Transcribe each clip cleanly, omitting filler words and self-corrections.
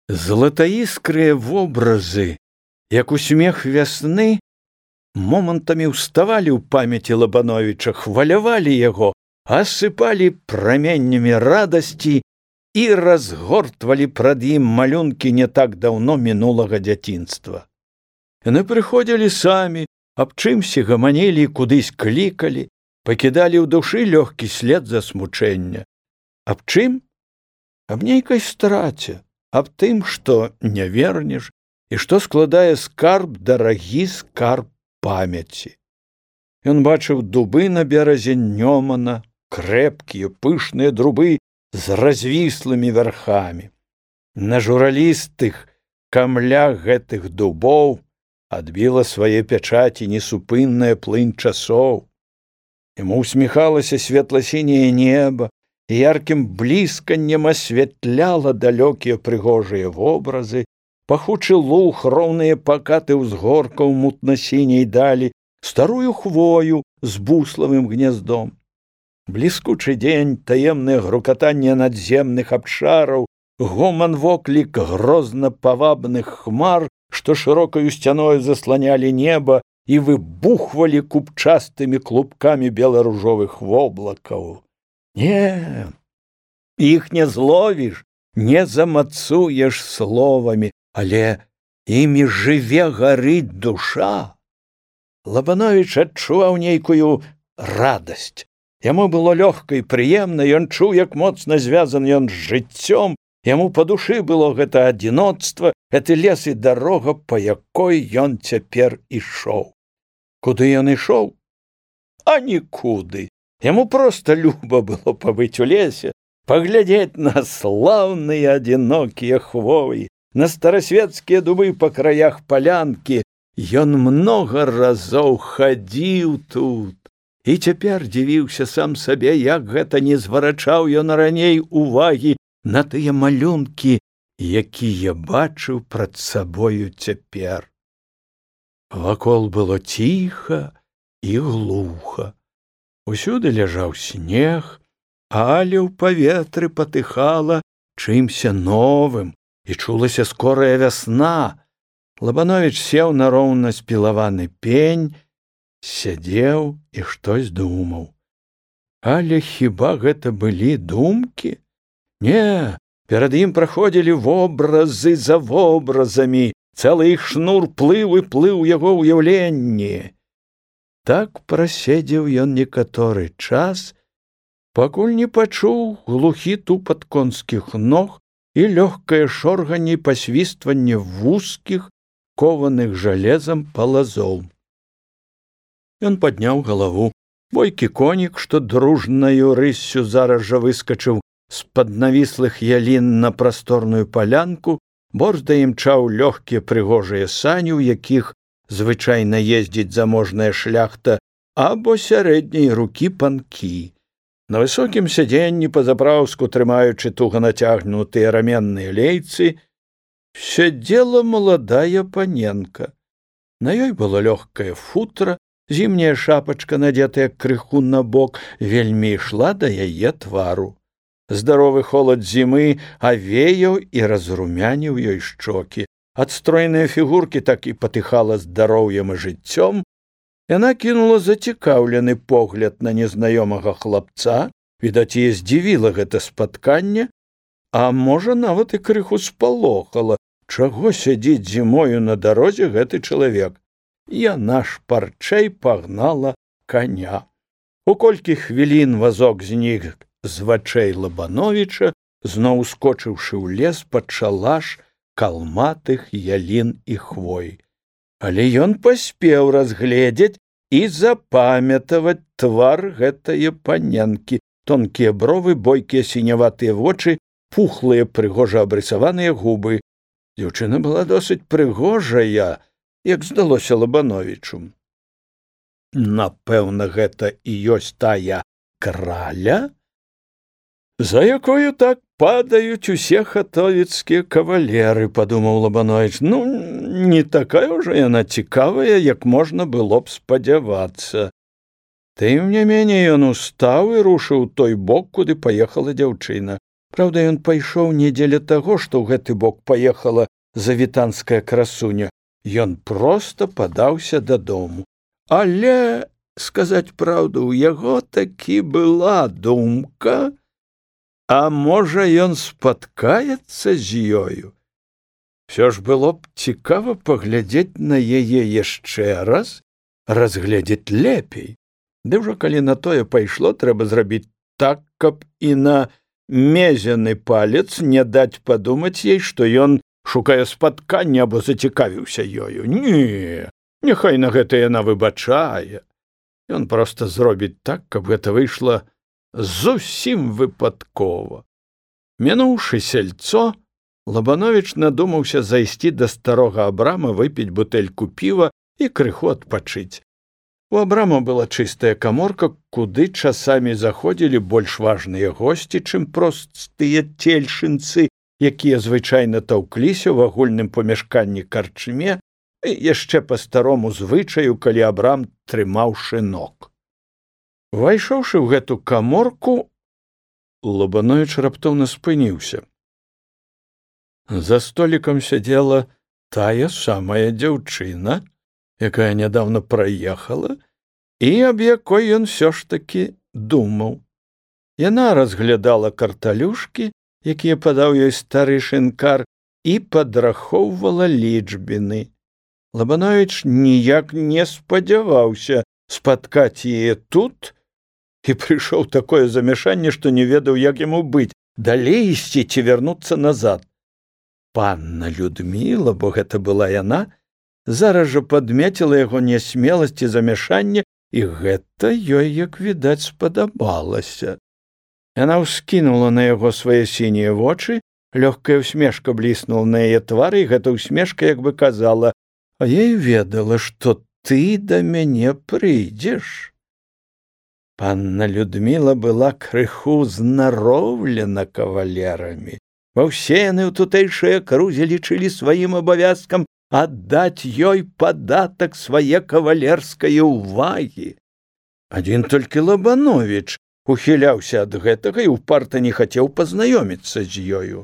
Златаіскрыя вобразы, як усмех вясны, момантамі ўставалі ў памяці Лабановіча, хвалявалі яго, асыпалі праменнямі радасці і разгортвалі прад ім малюнкі не так даўно мінулага дзяцінства. Яны прыходзілі самі, аб чымсьці гаманілі і кудысь клікалі, пакідалі ў душы лёгкі след засмучэння. Аб чым? Аб нейкай страце, аб тым, што не вернеш і што складае скарб, дарагі скарб памяці. Ён бачыў дубы на беразе Нёмана, крэпкія, пышныя дубы з развіслымі вярхамі. На журалістых камлях гэтых дубоў адбіла свае пячаці несупынная плынь часоў. Яму усміхалася светла-сіняе неба, і яркім блісканнем асвятляла далёкія прыгожыя вобразы, пахучы луг, роўныя пакаты ўзгоркаў мутна-сіняй далі, старую хвою з буславым гняздом. Бліскучы дзень, таемнае грукатанне надземных абшараў, гоман воклік грозна-павабных хмар, што шырокаю сцяною засланялі неба і выбухвалі купчастымі клубкамі бела-ружовых воблакаў. Не, іх не зловіш, не замацуеш словамі, але імі жыве, гарыць душа. Лабановіч адчуваў нейкую радасць. Яму было лёгка і прыемна, ён чуў, як моцна звязан ён з жыццём, яму па душы было гэта адзіноцтва, гэты лес і дарога, па якой ён цяпер ішоў. Куды ён ішоў? А нікуды. Яму проста люба было пабыць у лесе, паглядзець на слаўныя адзінокія хвоі, на старасвецкія дубы па краях палянкі. Ён многа разоў хадзіў тут і цяпер дзівіўся сам сабе, як гэта не зварачаў ён раней увагі на тыя малюнкі, якія бачыў прад сабою цяпер. Вакол было ціха і глуха. Усюды ляжаў снег, але ў паветры патыхала чымся новым, і чулася скорая вясна. Лабановіч сеў на роўна спілаваны пень, сядзеў і штось думаў. Але хіба гэта былі думкі? Не, перад ім праходзілі вобразы за вобразамі, цэлы іх шнур плыў і плыў яго ўяўленні. Так праседзеў ён некаторы час, пакуль не пачуў глухі тупат конскіх ног і лёгкае шорганне і пасвістванне вузкіх, кованых жалезам палазоў. Ён падняў галаву. Бойкі конік, што дружнаю рыссю зараз жа выскачыў з-пад навіслых ялін на прасторную палянку, борзда імчаў лёгкія прыгожыя сані, у якіх звычайна ездзіць заможная шляхта або сярэдняй рукі панкі. На высокім сядзенні па-запраўску, трымаючы туга нацягнутыя раменныя лейцы, сядзела маладая паненка. На ёй было лёгкае футра, зімняя шапачка, надетая крыху на бок, вельмі ішла да яе твару. Здаровы холад зімы авеяў і разрумяніў ёй шчокі. Ад стройнай фігуркі так і патыхала здароўем і жыццём. Яна кінула зацікаўлены погляд на незнаёмага хлапца, відаць, яе здзівіла гэта спатканне, а можа, нават і крыху спалохала, чаго сядзіць зімою на дарозе гэты чалавек. Яна шпарчэй пагнала каня. У колькі хвілін вазок знік з вачэй Лабановіча, зноў ускочыўшы ў лес пад шалаш калматых ялін і хвой. Але ён паспеў разгледзець і запамятаваць твар гэтае паненкі, тонкія бровы, бойкія сіняватыя вочы, пухлыя прыгожа абрысаваныя губы. Дзяўчына была досыць прыгожая, як здалося Лабановічу. Напэўна, гэта і ёсць тая краля, за якою так падаюць усе хатовіцкія кавалеры, падумаў Лабановіч. Ну, не такая ўжо яна цікавая, як можна было б спадзявацца. Тым не меней ён устаў і рушыў той бок, куды паехала дзяўчына. Праўда, ён пайшоў не дзеля таго, што ў гэты бок паехала завітанская красуня. Ён проста падаўся дадому. Але, сказаць праўду, у яго такі была думка, а можа, ён спаткаецца з ёю. Всё ж было б цікава паглядзець на яе яшчэ раз, разгледзець лепей. Ды ўжо калі на тое пайшло, трэба зрабіць так, каб і на мезяны палец не даць падумаць ей, што ён шукае спаткання або зацікавіўся ёю. Не, няхай на гэта яна выбачае. Ён проста зробіць так, каб гэта выйшла зусім выпадкова. Мінуўшы сельцо, Лабановіч надумаўся зайсці да старога Абрама, выпіць бутэльку піва і крыху адпачыць. У Абрама была чыстая каморка, куды часамі заходзілі больш важныя госці, чым простыя цельшынцы, якія звычайна таўкліся ў агульным памяшканні карчме, і яшчэ па старому звычаю, калі Абрам трымаў шынок. Увайшоўшы ў гэту каморку, Лабановіч раптоўна спыніўся. За столікам сядзела тая самая дзяўчына, якая нядаўна праехала, і аб якой ён ўсё ж такі думаў. Яна разглядала карталюшкі, якія падаў ёй стары шынкар, і падрахоўвала лічбіны. Лабановіч ніяк не спадзяваўся спаткаць яе тут, і прыйшоў такое замяшанне, што не ведаў, як яму быць, далей ісці ці вярнуцца назад. Панна Людміла, бо гэта была яна, зараз жа падмеціла яго нясмеласць і замяшанне, і гэта ёй, як відаць, спадабалася. Яна ўскінула на яго свае сінія вочы, лёгкая ўсмешка бліснула на яе твары, і гэта ўсмешка як бы казала: «А я і ведала, што ты да мяне прыйдзеш». Панна Людміла была крыху знароўлена кавалерамі. Ва ўсе яны ў тутэйшай акрузе лічылі сваім абавязкам аддаць ёй падатак свае кавалерскае ўвагі. Адзін толькі Лабановіч ухіляўся ад гэтага і ўпарта не хацеў пазнаёміцца з ёю.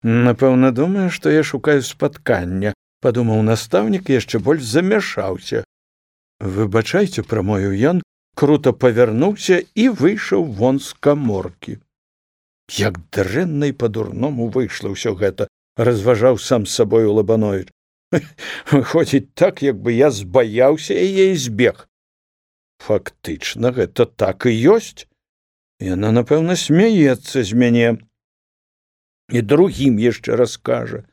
«Напэўна, думае, што я шукаю спаткання», — падумаў настаўнік і яшчэ больш замяшаўся. «Выбачайце», — прамовіў ён, крута павярнуўся і выйшаў вон з каморкі. Як дрэнна і па-дурному выйшла ўсё гэта, разважаў сам з сабою Лабановіч. Выходзіць так, як бы я збаяўся яе і збег. Фактычна, гэта так і ёсць. Яна, напэўна, смяецца з мяне. І другім яшчэ раскажа.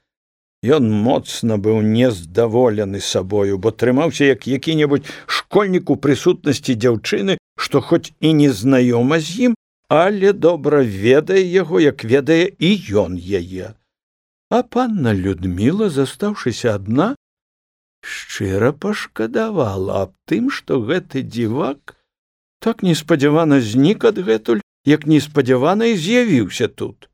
Ён моцна быў нездаволены сабою, бо трымаўся як які-небудзь школьнік у прысутнасці дзяўчыны, што хоць і не знаёма з ім, але добра ведае яго, як ведае і ён яе. А панна Людміла, застаўшыся адна, шчыра пашкадавала аб тым, што гэты дзівак так неспадзявана знік адгэтуль, як неспадзявана і з'явіўся тут.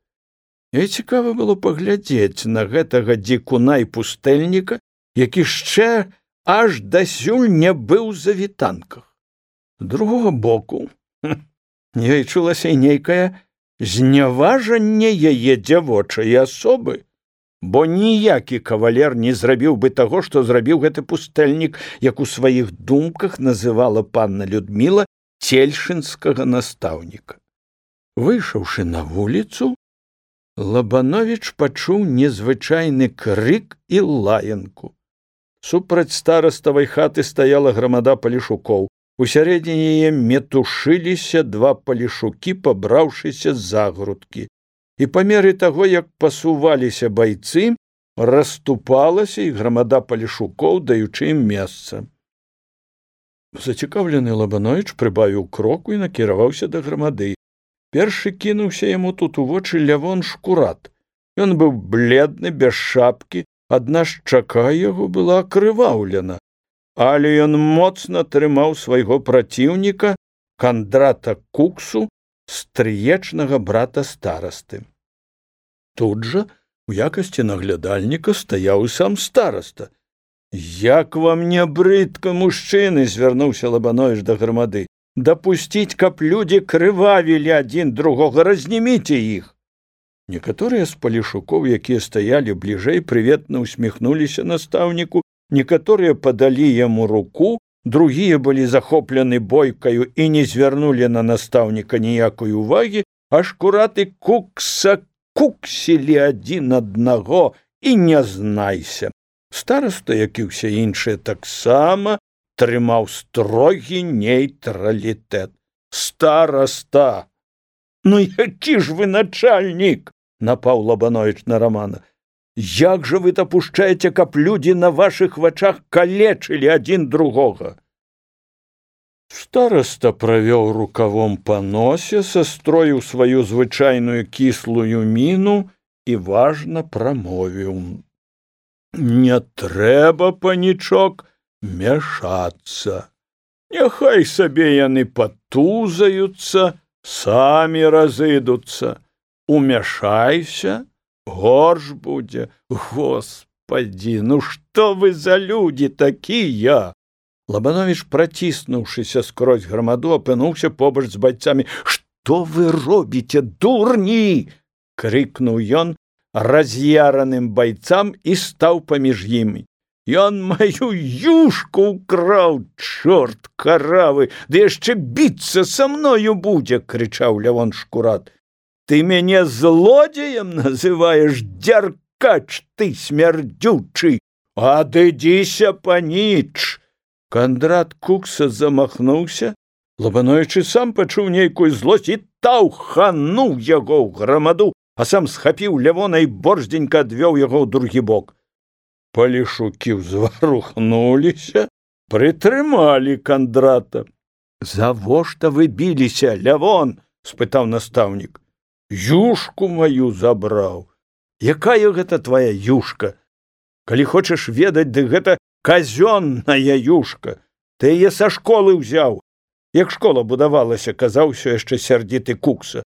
Ёй цікава было паглядзець на гэтага дзікуна і пустэльніка, які яшчэ аж дасюль не быў за вітанках. З другога боку, ёй чулася нейкае зняважанне яе дзявочай асобы, бо ніякі кавалер не зрабіў бы таго, што зрабіў гэты пустэльнік, як у сваіх думках называла панна Людміла цельшынскага настаўніка. Выйшаўшы на вуліцу, Лабановіч пачуў незвычайны крык і лаянку. Супраць стараставай хаты стаяла грамада палешукоў. У сярэдзіне яе метушыліся два палешукі, пабраўшыся за грудкі. І па меры таго, як пасуваліся байцы, расступалася і грамада палешукоў, даючы ім месца. Зацікаўлены Лабановіч прыбавіў кроку і накіраваўся да грамады. Першы кінуўся яму тут у вочы Лявон Шкурат. Ён быў бледны, без шапкі, адна шчака яго была акрываўлена, але ён моцна трымаў свайго праціўніка, Кандрата Куксу, стрыечнага брата старасты. Тут жа, у якасці наглядальніка, стаяў і сам стараста. «Як вам не брыдка, мужчыны!» — звярнуўся Лабановіч да грамады. «Дапусціць, каб людзі крывавілі адзін другога, разніміце іх!» Некаторыя з палешукоў, якія стаялі бліжэй, прыветна ўсміхнуліся настаўніку, некаторыя падалі яму руку, другія былі захоплены бойкаю і не звярнулі на настаўніка ніякай увагі, а Шкурат і Кукса куксілі адзін аднаго і не знайся. Стараста, як і ўсе іншыя, таксама трымаў строгі нейтралітэт. Стараста! Ну, які ж вы начальнік? Напаў Лабановіч на Рамана. Як жа вы дапушчаеце, каб людзі на вашых вачах калечылі адзін другога? Стараста правёў рукавом па носе, састроіў сваю звычайную кіслую міну і важна прамовіў: не трэба, панічок, мяшацца. Няхай сабе яны патузаюцца, самі разыдуцца. Умяшайся, горш будзе. Господі, ну што вы за людзі такія? Лабановіч, праціснуўшыся скрозь грамаду, апынуўся побач з байцамі. Што вы робіце, дурні? Крыкнуў ён раз'яраным байцам і стаў паміж імі. Ён маю юшку ўкраў, чорт каравы, ды яшчэ біцца са мною будзе, крычаў Лявон Шкурат. Ты мяне злодзеем называеш, дзяркач ты смярдзючы? Адыдзіся, паніч! Кандрат Кукса замахнуўся. Лабановіч сам пачуў нейкую злосць і таўхануў яго ў грамаду, а сам схапіў Лявона і борздзенька адвёў яго ў другі бок. Палешукі ўзварухнуліся, прытрымалі Кандрата. Завошта вы біліся, Лявон? Спытаў настаўнік. Юшку маю забраў. Якая гэта твая юшка? Калі хочаш ведаць, дык гэта казённая юшка. Ты яе са школы ўзяў. Як школа будавалася, казаў усё яшчэ сярдзіты Кукса.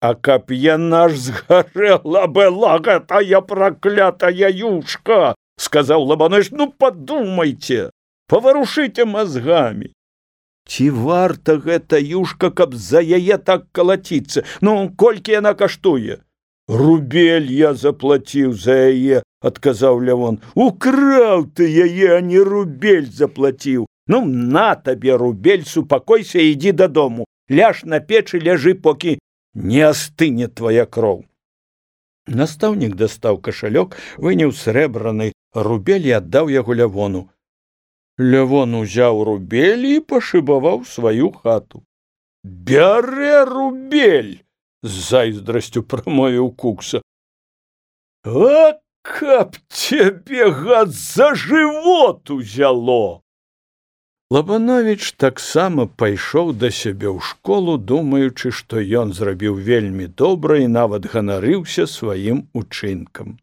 А каб яна ж згарэла была гэтая праклятая юшка, сказаў Лабановіч, ну падумайце, паварушыце мазгамі. Ці варта гэта юшка, каб за яе так калаціцца? Ну, колькі яна каштуе? Рубель я заплаціў за яе, адказаў Лявон. Украў ты яе, а не рубель заплаціў. Ну, на табе рубель, супакойся і ідзі дадому. Ляж на печы, ляжы, покі не астыне твая кроў. Настаўнік дастаў кашалёк, выняў срэбраны рубель і аддаў яго Лявону. Лявон узяў рубель і пашыбаваў сваю хату. Бярэ рубель! З зайздрасцю прамовіў Кукса. А каб цябе, гад, за жывот узяло! Лабановіч таксама пайшоў да сябе ў школу, думаючы, што ён зрабіў вельмі добра і нават ганарыўся сваім учынкам.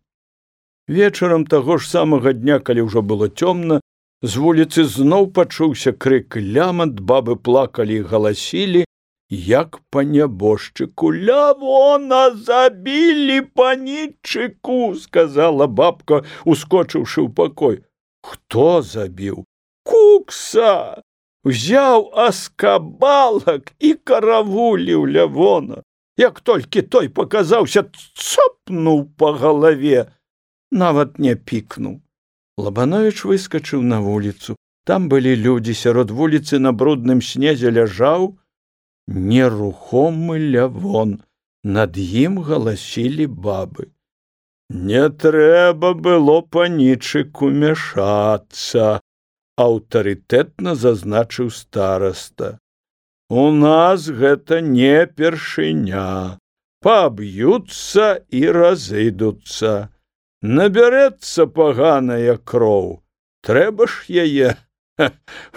Вечарам таго ж самага дня, калі ўжо было цёмна, з вуліцы зноў пачуўся крык і лямант, бабы плакалі і галасілі, як па нябожчыку. Лявона забілі, панічыку, сказала бабка, ускочыўшы ў пакой. Хто забіў? Кукса! Узяў аскабалак і каравуліў Лявона. Як толькі той паказаўся, цапнуў па галаве, нават не пікнуў. Лабановіч выскачыў на вуліцу. Там былі людзі, сярод вуліцы на брудным снезе ляжаў нерухомы Лявон. Над ім галасілі бабы. Не трэба было панічыку мяшацца, аўтарытэтна зазначыў стараста. У нас гэта не першыня. Паб'юцца і разыдуцца. Набярэцца паганая кроў, трэба ж яе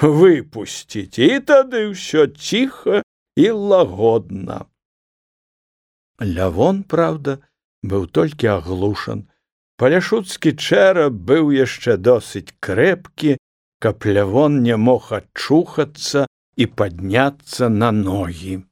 выпусціць, і тады ўсё ціха і лагодна. Лявон, праўда, быў толькі аглушан. Паляшуцкі чэрап быў яшчэ досыць крэпкі, каб Лявон не мог ачухацца і падняцца на ногі.